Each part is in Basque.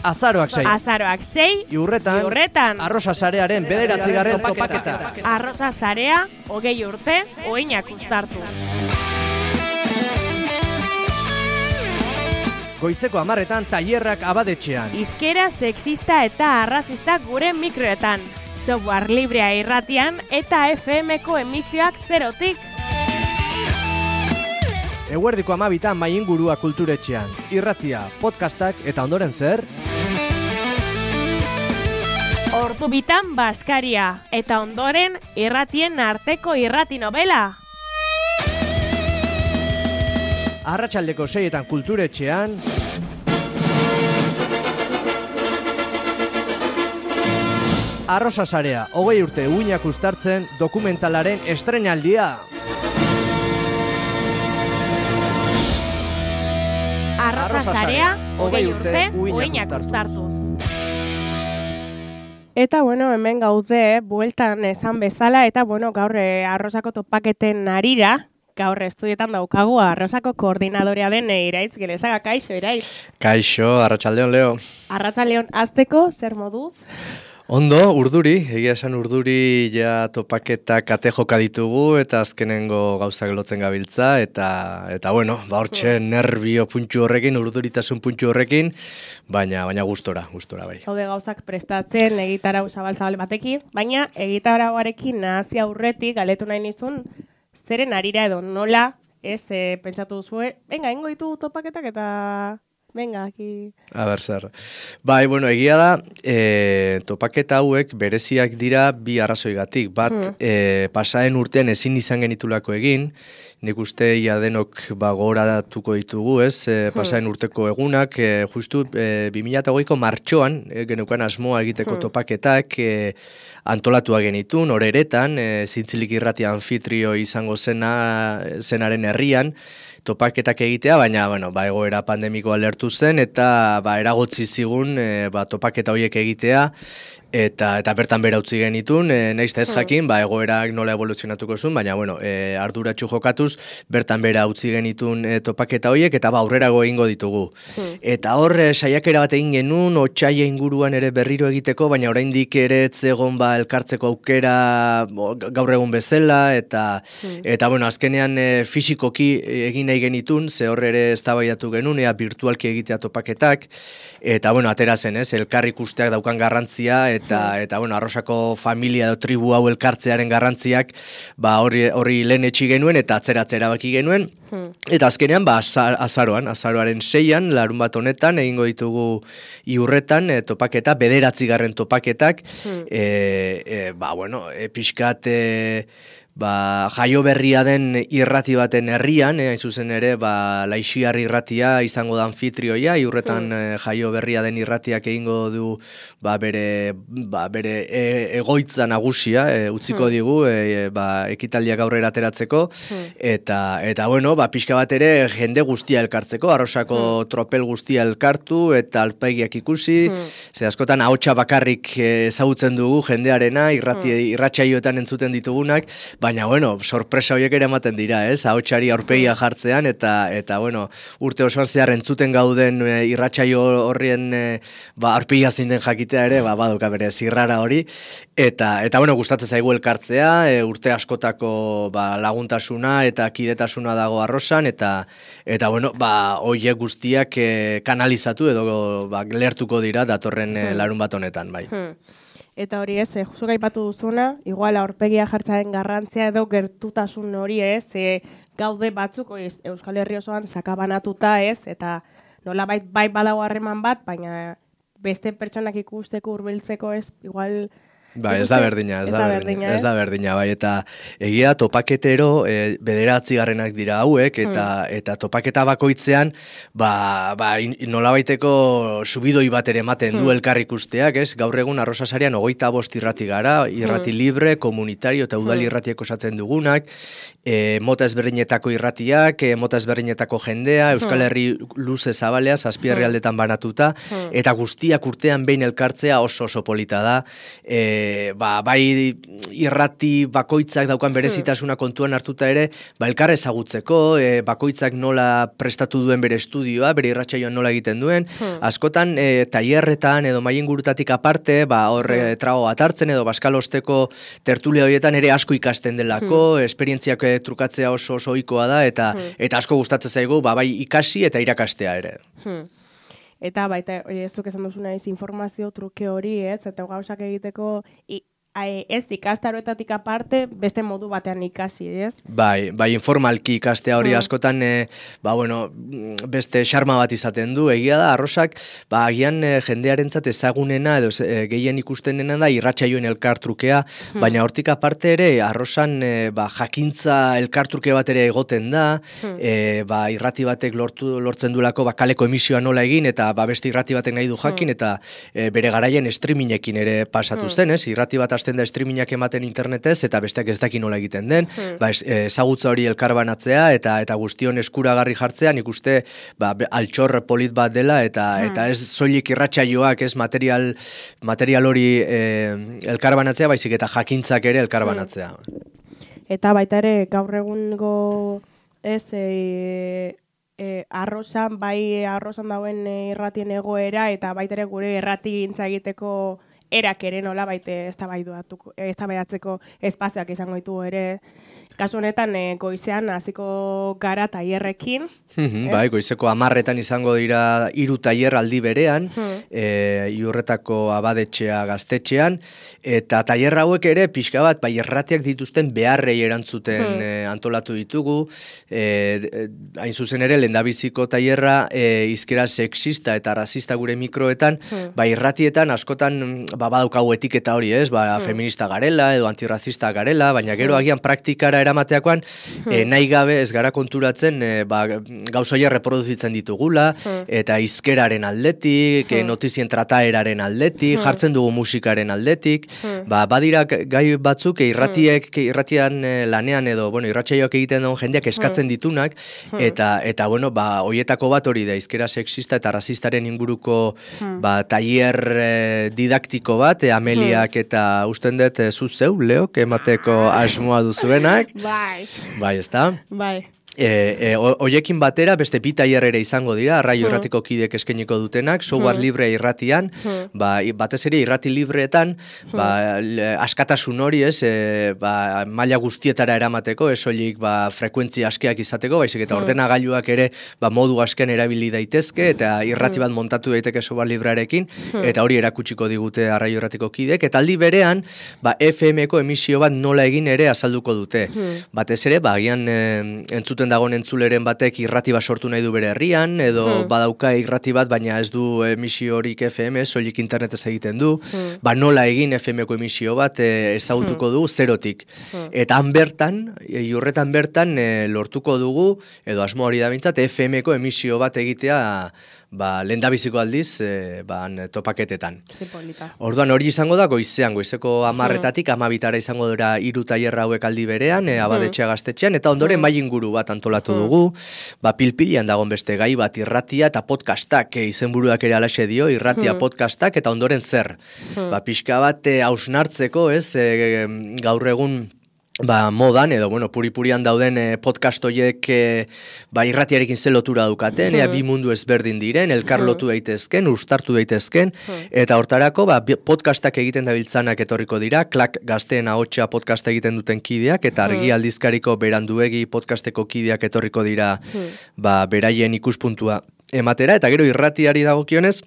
Azaroak 6. Azaroak 6. Iurretan. Arrosa sarearen 9. topaketa. Arrosa sarea 20 urte, oinak uztartu. Goizeko 10etan tailerrak abadetxean. Hizkera sexista eta arrazista gure mikroetan. Software librea irratian eta FM-ko emisioak 0tik. Eguerdiko 12etan mai ingurua kulturetxean. Irratia, podcastak eta ondoren zer? Ordu bitan Baskaria eta ondoren irratien arteko irrati novela. Arratsaldeko 6etan kulturetxean. Arrosa sarea, 20 urte uinak uztartzen dokumentalaren estreinaldia. Arrosa sarea, 20 urte uinak uztartuz. Eta, hemen gaude, bueltan esan bezala, eta, gaur arrosako topaketen harira, gaur estudietan daukagu arrosako koordinadorea den Iraitz Gelesaga. Kaixo, Iraitz? Kaixo, arratsaldeon, Leo. Arratsaldeon, hasteko, zer moduz? Ondo, urduri, egia esan urduri ja topaketa kate joka ditugu eta azkenengo gauzak lotzen gabiltza eta hortxe nervio puntxu horrekin, urduritasun puntxu horrekin, baina gustora bai. Haude gauzak prestatzen egitarau zabal batekin, baina egitarauarekin nahazi aurretik galetu nahi nizun, zeren harira edo nola, pentsatu duzue, ingo ditu topaketak eta... Venga, aquí. A ber, zer. Bai, egia da, topaketa hauek bereziak dira bi arrazoigatik. Bat, pasaden urtean ezin izan genitulako egin, nik uste ia denok gogoratuko ditugu, ez? Pasaden urteko egunak, justu 2008ko martxoan, genukan asmoa egiteko topaketak, antolatua genitun, horeretan, Zintzilik irratia anfitrio izango zenaren herrian, topaketak egitea, baina, egoera pandemikoa lertu zen, eta, eragotzi zigun, topaketa horiek egitea, eta bertan bera utzi genitun, nahiz ez jakin, egoerak nola evoluzionatuko zuen, baina, arduratsu jokatuz, bertan bera utzi genitun topaketa horiek, eta aurrerago egingo ditugu. Eta hor, saiakera bat egin genuen, otsaila inguruan ere berriro egiteko, baina oraindik ere etzegon elkartzeko aukera gaur egun bezala, eta azkenean fisikoki egin nahi genitun, ze hor ere eztabaidatu genuen, virtualki egitea topaketak, eta atera zen, elkar ikusteak daukan garrantzia, eta arrosako familia edo tribu hau elkartzearen garrantziak horri lehen etxi genuen eta atzera baki genuen. Eta azkenean, azaroaren 6an, larun bat honetan, egingo ditugu Iurretan topaketa, 9. topaketak, pixkat... jaio berria den irrati baten herrian, hain zuzen ere, Laixiar irratia izango da anfitrioia, Iurretan jaio berria den irratiak egingo du bere egoitza nagusia, utziko digu, ekitaldiak aurrera ateratzeko, eta pixka bat ere jende guztia elkartzeko, arrosako tropel guztia elkartu, eta alpaigiak ikusi, ze askotan ahotsa bakarrik ezagutzen dugu jendearena, irratsaioetan entzuten ditugunak, baina, sorpresa horiek ere ematen dira, ez? Ahotsari aurpegia jartzean, eta urte osoan zehar entzuten gauden irratsaio horrien aurpegia zein den jakitea ere, baduka bere zirrara hori, eta gustatzen zaigu elkartzea, urte askotako laguntasuna eta kidetasuna dago arrosan, eta horiek guztiak kanalizatu edo lertuko dira datorren larun bat honetan, bai. Eta hori zuk aipatu duzuna, igual aurpegia jartzaren garrantzia edo gertutasun hori gaude batzuk Euskal Herri osoan sakabanatuta eta nolabait bai badago harreman bat, baina beste pertsonak ikusteko hurbiltzeko igual... Ez da berdina, bai, eta egia topaketero 9. dira hauek, eta topaketa bakoitzean, nolabaiteko subidoi bat ere ematen du elkar ikusteak, ez? Gaur egun arrosa sarean 25 irrati gara, irrati libre, komunitario eta udal irratiak osatzen dugunak, mota ezberdinetako irratiak, mota ezberdinetako jendea, Euskal Herri luze zabalean, 7 herrialdetan banatuta, eta guztiak urtean behin elkartzea oso polita da, bai irrati bakoitzak daukan berezitasuna kontuan hartuta ere, elkar ezagutzeko, bakoitzak nola prestatu duen bere estudioa, bere irratsaioan nola egiten duen, askotan tailerretan edo mahai ingurutatik aparte, hor trago bat hartzen edo baskalosteko tertulia horietan ere asko ikasten delako, esperientziak trukatzea oso ohikoa da eta asko gustatzen zaigu, bai ikasi eta irakastea ere. Eta baita, zuk esan duzu naiz informazio truke hori, eta gauzak egiteko ez ikastaroetatik aparte, beste modu batean ikasi, ez? Bai, informalki ikastea hori askotan, beste xarma bat izaten du, egia da, arrosak, agian jendearentzat ezagunena, edo gehien ikustenena da, irratsaioen elkartrukea, baina hortik aparte ere, arrosan jakintza elkartruke bat ere egoten da, irrati batek lortzen duelako kaleko emisioa nola egin, eta beste irrati batek nahi du jakin, eta bere garaien streamingekin ere pasatu zen, ez? Irrati bat hasten da streamingak ematen internetez, eta besteak ez daki nola egiten den, ezagutza hori elkarbanatzea, eta guztion eskuragarri jartzea, nik uste altxor polit bat dela, eta ez soilik irratsaioak, ez material hori elkarbanatzea, baizik eta jakintzak ere elkarbanatzea. Eta baita ere, gaur egungo ez arrosan dauen irratien egoera, eta baita ere gure irratigintza egiteko erak ere nola baite eztabaidatzeko espazioak izango ditu ere. Kasu honetan goizean hasiko gara tailerrekin. Bai, goizeko 10etan izango dira 3 tailer aldi berean, Iurretako Abadetxea Gaztetxean, eta tailer hauek ere pixka bat irratiak dituzten beharrei erantzuten antolatu ditugu. Hain zuzen ere, lehendabiziko tailerra hizkera sexista eta rasista gure mikroetan, irratietan askotan badaukagu etiketa hori, ez? Feminista garela edo antirrazista garela, baina gero agian praktikara eramateakoan nahi gabe ez gara konturatzen gauzoia reproduzitzen ditugula, eta hizkeraren aldetik, notizien trataeraren aldetik, jartzen dugu musikaren aldetik, badira gai batzuk irratian lanean edo, irratsaioak egiten dagoen jendeak eskatzen ditunak, eta hoietako bat hori da, hizkera sexista eta rasistaren inguruko tailer didaktiko bat, Ameliak eta usten dut zuzeu, Leok, emateko asmoa duzuenak. Bai, ezta? Bai. Hoiekin batera beste bi tailer ere izango dira, Arraio Irratiko kideek eskainiko dutenak, software libre irratian, batez ere irrati libreetan, askatasun hori, maila guztietara eramateko, ez soilik frekuentzia askeak izateko, baizik eta ordenagailuak ere modu askean erabili daitezke, eta irrati bat montatu daiteke software librearekin, eta hori erakutsiko digute Arraio Irratiko kideek, eta aldi berean, FM-ko emisio bat nola egin ere azalduko dute. Batez ere, agian entzuten dagoen entzuleren batek irrati bat sortu nahi du bere herrian, edo badauka irrati bat, baina ez du emisio horik FM, soilik internetez egiten du, nola egin FM-ko emisio bat ezagutuko du zerotik. Eta Iurretan bertan lortuko dugu, edo asmo hori da bintzat, FM-ko emisio bat egitea lehendabiziko aldiz topaketetan. Orduan hori izango da goizeko 10etatik 12etara izango dira 3 tailer hauek aldi berean, Abadetxea Gaztetxean, eta ondoren mahai inguru bat antolatu dugu, pilpilian dagon beste gai bat, irratia eta podcastak, izenburuak ere alaxe dio, irratia podcastak, eta ondoren zer. Pixka bat hausnartzeko, gaur egun modan, edo puri-purian dauden podcast horiek irratiarekin ze lotura dukaten, bi mundu ezberdin diren, elkar lotu daitezken, uztartu daitezken, eta hortarako podcastak egiten dabiltzanak etorriko dira, Klak Gazteen Ahotsa podcast egiten duten kideak, eta Argi Aldizkariko Beranduegi podcasteko kideak etorriko dira beraien ikuspuntua ematera, eta gero irratiari dagokionez,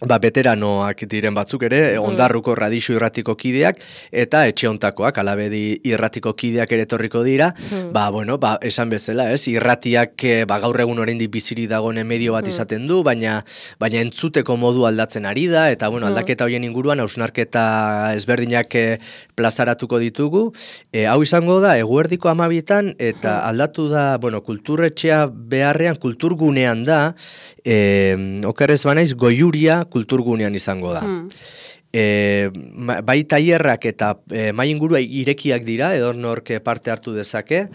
veteranoak diren batzuk ere, Ondarruko Radixu irratiko kideak, eta etxe hontakoak, Alabedi irratiko kideak ere etorriko dira, esan bezala, irratiak gaur egun oraindik biziri dagoen medio bat izaten du, baina entzuteko modu aldatzen ari da, eta aldaketa horien inguruan hausnarketa ezberdinak plazaratuko ditugu. Hau izango da, eguerdiko 12etan, eta aldatu da, kulturretxea beharrean, kulturgunean da, okerrez banaiz, Goiuria kulturgunean izango da. bai tailerrak eta mahai ingurua irekiak dira, edonork parte hartu dezake,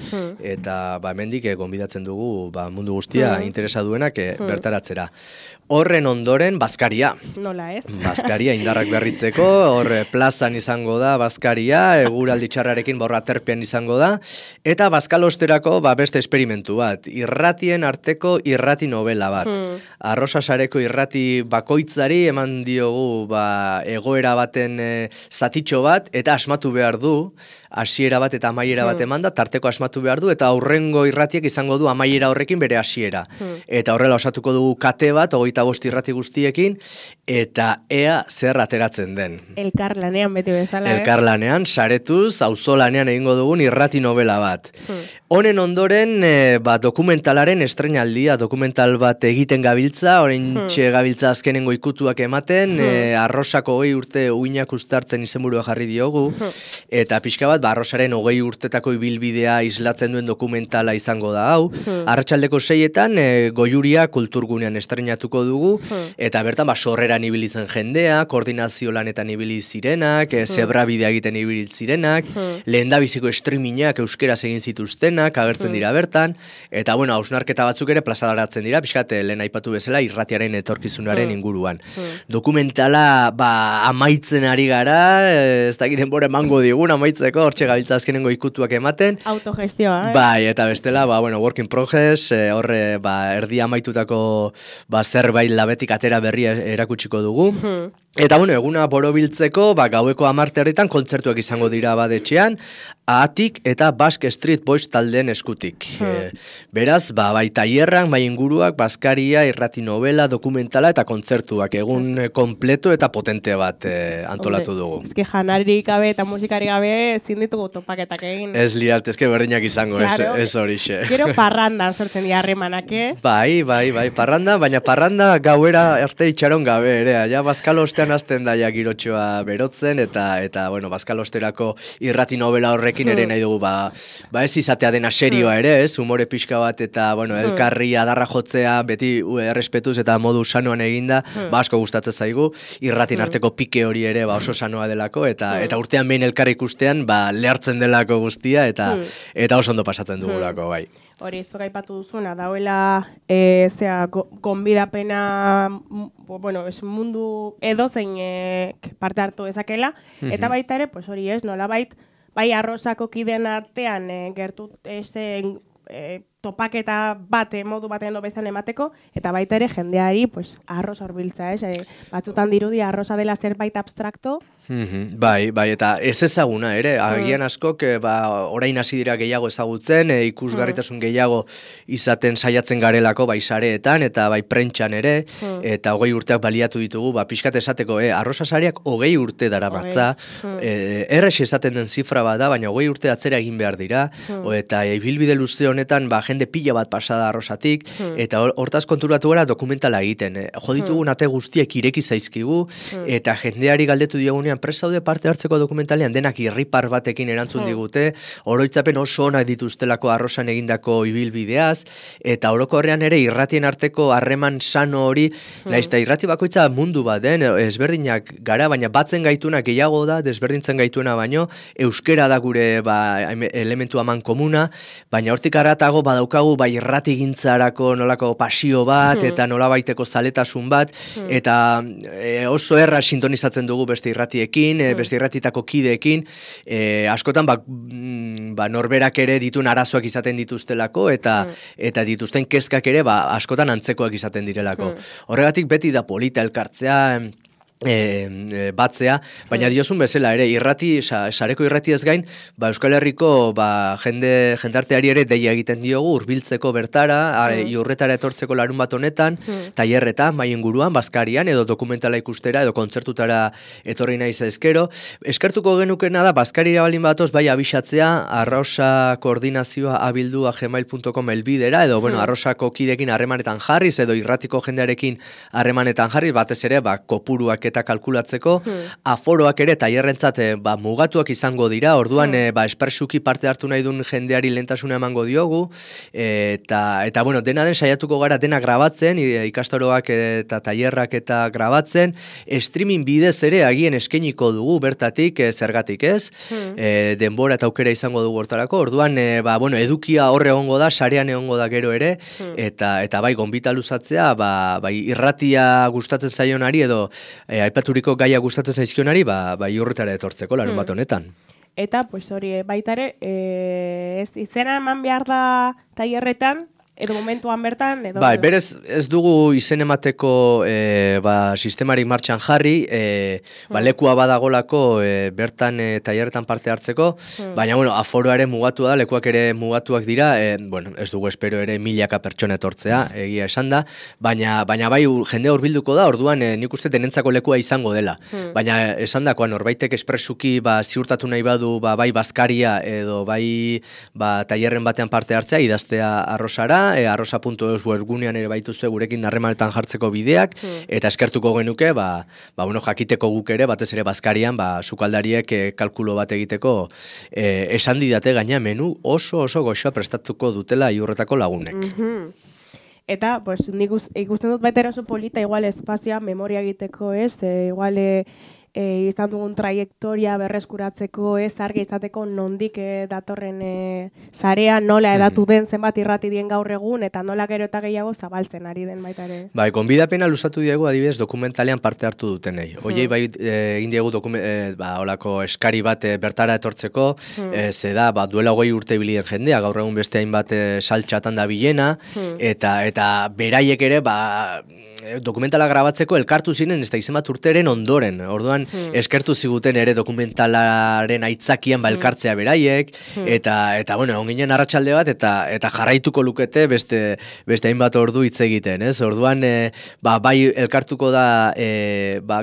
eta hemendik gonbidatzen dugu mundu guztia interesa duenak bertaratzera. Horren ondoren, bazkaria. Nola ez? Bazkaria indarrak berritzeko, hor plazan izango da bazkaria, eguraldi txarrarekin borra terpean izango da, eta bazkalosterako beste esperimentu bat, irratien arteko irrati novela bat. Arrosasareko irrati bakoitzari eman diogu egoera baten zatitxo bat, eta asmatu behar du, hasiera bat eta amaiera bat emanda, tarteko asmatu behar du, eta aurrengo irratiek izango du amaiera horrekin bere hasiera. Eta horrela osatuko dugu kate bat, 25 irrati guztiekin, eta ea zer ateratzen den. Elkarlanean beti bezala. Elkarlanean, saretuz, auzolanean egingo dugun irrati novela bat. Honen ondoren, dokumentalaren estrenaldia, dokumental bat egiten gabiltza, orain gabiltza azkenengo ikutuak ematen, Arrosako 20 urte uinak ustartzen izenburua jarri diogu, eta pixka bat, Arrosaren 20 urtetako ibilbidea islatzen duen dokumentala izango da hau. Arratsaldeko 6etan, Goiuria kulturgunean estrenatuko dugu, eta bertan sorreran ibili zen jendea, koordinazio lanetan ibili zirenak, zebrabidea egiten ibili zirenak, lehendabiziko streamingak euskeraz egin zituztenak, agertzen dira bertan, eta hausnarketa batzuk ere plazadaratzen dira, pixkat lehen aipatu bezala irratiaren etorkizunaren inguruan. Dokumentala amaitzen ari gara, ez dakit denbora emango digun amaitzeko, hortxe gabiltza azkenengo ikutuak ematen. Autogestioa, Bai, eta bestela, work in progress, horre erdi amaitutako zerbait labetik atera berria erakutsiko dugu. Eta eguna borobiltzeko, gaueko 10 kontzertuak izango dira badetxean, Ahatik eta Basque Street Boys taldeen eskutik. Beraz, bai tailerrak, bai inguruak, bazkaria, irrati novela, dokumentala eta kontzertuak. Egun kompleto eta potente bat antolatu dugu. Ez janarik gabe eta musikari gabe ezin ditugu topaketak egin. Ez lirat, ez berdinak izango, ez horixe. Gero parrandan sortzen dira harremanak, ez? Bai, parranda, baina parranda gauera arte itxaron gabe, ere. Ja, bazkalostean hasten da girotxoa berotzen, eta bazkalosterako irrati novela horrekin ere nahi dugu, ez izatea dena serioa ere, ez, humore pixka bat, eta, elkarri adarra jotzea, beti errespetuz eta modu sanoan eginda, asko gustatzen zaigu, irratin arteko pike hori ere, oso sanoa delako, eta urtean behin elkarri ikustean, lehartzen delako guztia, eta oso ondo pasatzen dugulako, bai. Hori, zuk aipatu duzuna, dauela gonbidapena, mundu edozein parte hartu dezakela, eta baita ere, hori ez, nolabait, bai Arrosako kideen artean gertu topaketa modu batean edo bestan emateko, eta baita ere jendeari arroz horbiltza, batzutan dirudi arroza dela zerbait abstrakto. Bai, eta ez ezaguna ere, agian askok orain hasi dira gehiago ezagutzen, ikusgarritasun gehiago izaten saiatzen garelako bai sareetan eta bai prentxan ere, eta 20 urteak baliatu ditugu, pixkat esateko, arroza sareak 20 urte daramatza, errex esaten den zifra bat da, baina 20 urte atzera egin behar dira, eta ibilbide luze honetan jende pila bat pasada arrozatik, eta hortaz konturatu gara dokumentala egiten. Joditugun ate guztiek ireki zaizkigu, eta jendeari galdetu diogunean presaude parte hartzeko dokumentalean denak irripar batekin erantzun digute, oroitzapen oso onak dituztelako arrozan egindako ibilbideaz, eta orokorrean ere irratien arteko harreman sano hori, naizta irrati bakoitza mundu bat den, ezberdinak gara, baina batzen gaituna gehiago da, desberdintzen gaituena baino, euskera da gure elementu aman komuna, baina hortik aratago badaukagu bai irrati gintzarako nolako pasio bat, eta nolabaiteko zaletasun bat, eta oso erra sintonizatzen dugu beste irratiekin, beste irratitako kideekin, askotan norberak ere ditun arazoak izaten dituztelako, eta dituzten kezkak ere askotan antzekoak izaten direlako. Horregatik beti da polita elkartzea, batzea, baina diozun bezala ere sareko irratiez gain, Euskal Herriko jendarteari ere deia egiten diogu hurbiltzeko bertara, iurretara etortzeko larun bat honetan, tailerretan, bai inguruan, bazkarian, edo dokumentala ikustera, edo kontzertutara etorri nahi zaizkero. Eskertuko genukena da, bazkarira balin batoz, bai abisatzea, arrosa koordinazioa abildu@gmail.com elbidera, edo arrosako kidekin harremanetan jarriz, edo irratiko jendearekin harremanetan jarriz, batez ere, kopuruak eta kalkulatzeko, aforoak ere tailerrentzat mugatuak izango dira, orduan espresuki parte hartu nahi duen jendeari lehentasuna emango diogu, eta bueno, dena den saiatuko gara dena grabatzen, ikastaroak eta tailerrak eta grabatzen, streaming bidez ere agien eskainiko dugu bertatik, zergatik ez, denbora eta aukera izango dugu hortarako, orduan, bueno, edukia horre egongo da, sarean egongo da gero ere, eta bai, gonbita luzatzea, bai, irratia gustatzen zaionari edo aipaturiko gaia gustatzen zaizkionari, bai, horretara etortzeko, larun bat honetan. Eta, pues hori, baita ere, ez izena eman behar da tailerretan, edo momentuan bertan, edo... Bai, berez ez dugu izen emateko sistemarik martxan jarri, lekua badagolako bertan tailerretan parte hartzeko, baina, bueno, aforoa ere mugatu da, lekuak ere mugatuak dira, bueno, ez dugu espero ere milaka pertsona etortzea, egia esan da, baina bai jende hurbilduko da, orduan nik uste denentzako lekua izango dela. Baina esan dakoan, norbaitek espresuki ziurtatu nahi badu, bai bazkaria edo bai tailerren batean parte hartzea, idaztea Arrosara, arrosa.eus webgunean ere baituzue gurekin harremanetan jartzeko bideak, eta eskertuko genuke, bueno, jakiteko guk ere, batez ere bazkarian, sukaldariek kalkulo bat egiteko esan didate gaina menu oso goxoa prestatuko dutela iurretako lagunek. Eta, pues, nik ikusten dut baita oso polita, igual espazioa, memoria egiteko ez, igual izan dugun traiektoria berreskuratzeko, argi izateko nondik datorren sarea, nola edatu den zenbat irrati dien gaur egun, eta nola gero eta gehiago zabaltzen ari den baita ere. Bai, gonbidapena luzatu diegu adibidez dokumentalean parte hartu dutenei. Hoiei bai egin diegu olako eskari bat bertara etortzeko, ze da, duela 20 urte bilien jendea, gaur egun beste hainbat saltxatan da bilena, eta beraiek ere, dokumentala grabatzeko elkartu ziren ez da izemat urteren ondoren. Orduan, eskertu ziguten ere dokumentalaren aitzakian elkartzea beraiek, eta bueno, onginen arratsalde bat, eta jarraituko lukete beste hainbat ordu hitz egiten, ez? Orduan, bai elkartuko da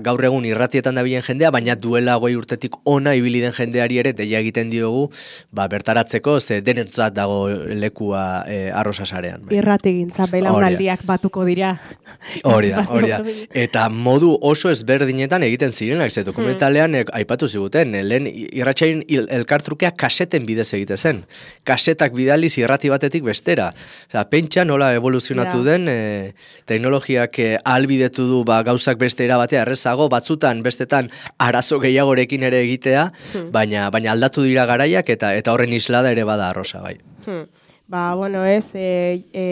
gaur egun irratietan dabilen jendea, baina duela 20 urtetik ona ibili den jendeari ere deia egiten diogu bertaratzeko, ze denentzat dago lekua Arrosa sarean. Irratigintza belaunaldiak batuko dira. Hori da. Eta modu oso ezberdinetan egiten zirenak, ze dokumentalean aipatu ziguten, lehen irratsaien elkartrukea kaseten bidez egite zen. Kasetak bidaliz irrati batetik bestera. Pentsa nola evoluzionatu den, teknologiak ahalbidetu du gauzak beste erabatea errezago, batzutan bestetan arazo gehiagorekin ere egitea, baina aldatu dira garaiak eta horren islada ere bada Arrosa, bai. Bueno,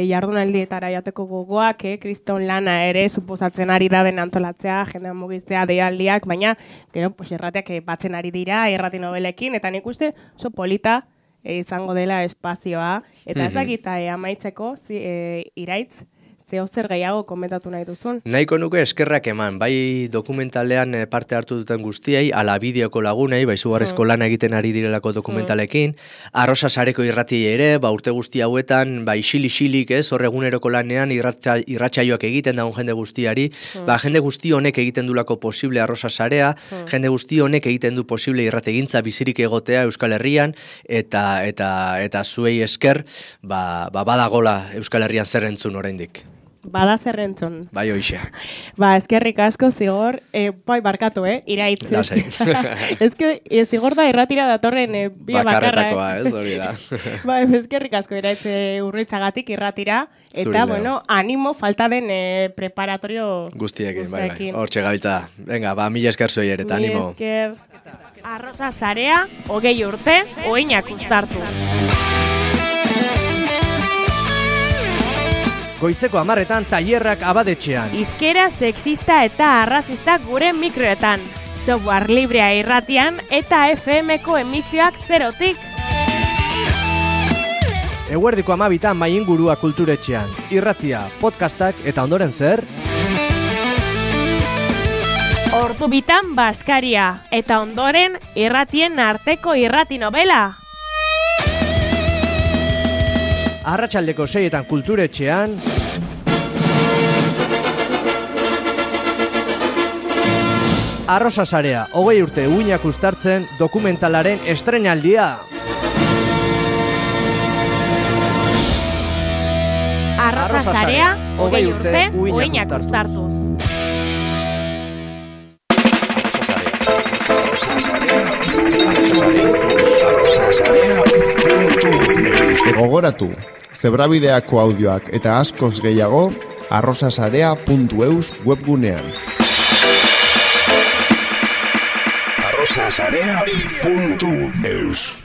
jardunaldietara jateko gogoak, kriston lana ere suposatzen ari da den antolatzea, jendean mugitzea, deialdiak, baina, gero, errateak batzen ari dira, irrati nobelekin, eta nik uste oso polita izango dela espazioa, eta ez dakita amaitzeko, Iraitz, zeo zer gehiago komentatu nahi duzun? Nahiko nuke eskerrak eman, bai dokumentalean parte hartu duten guztiei, ala bideoko lagunei, bai zugarrezko lana egiten ari direlako dokumentalekin, Arrosa sareko irratiei ere, urte guzti hauetan, isilik ez, hor eguneroko lanean irratsaioak egiten daun jende guztiari, jende guzti honek egiten dulako posible Arrosa sarea, jende guzti honek egiten du posible irrategintza bizirik egotea Euskal Herrian, eta zuei esker, badagola Euskal Herrian zer entzun oraindik. Bada zerrentzun. Bai, hoxe. Eskerrik asko, Zigor. Bai, barkatu, Iraitz. Lasai. Zigor da irratira datorren bia bakarra. Bakarretakoa, ez hori da. Eskerrik asko, Iraitz urritzagatik irratira. Eta, animo falta den preparatorio guztiekin. Bai. Hortxe gabiltza. Venga, mila esker zuei ere, eta animo. Esker. Arrosa sarea, 20 urte, oinak uztartu. Goizeko 10etan tailerrak Abadetxean. Hizkera sexista eta arrazista gure mikroetan. Software librea irratian eta FM-ko emisioak 0tik. Eguerdiko 12etan Maingurua Kulturetxean. Irratia, podcastak eta ondoren zer? Ordu bitan Baskaria eta ondoren irratien arteko irrati novela. Arratsaldeko 6etan Kulturetxean. Arrosa sarea, 20 urte uinak uztartzen dokumentalaren estreinaldia. Arrosa sarea, 20 urte uinak uztartuz. Gogoratu, zebrabideako audioak eta askoz gehiago arrosasarea.eus webgunean. arrosasarea.eus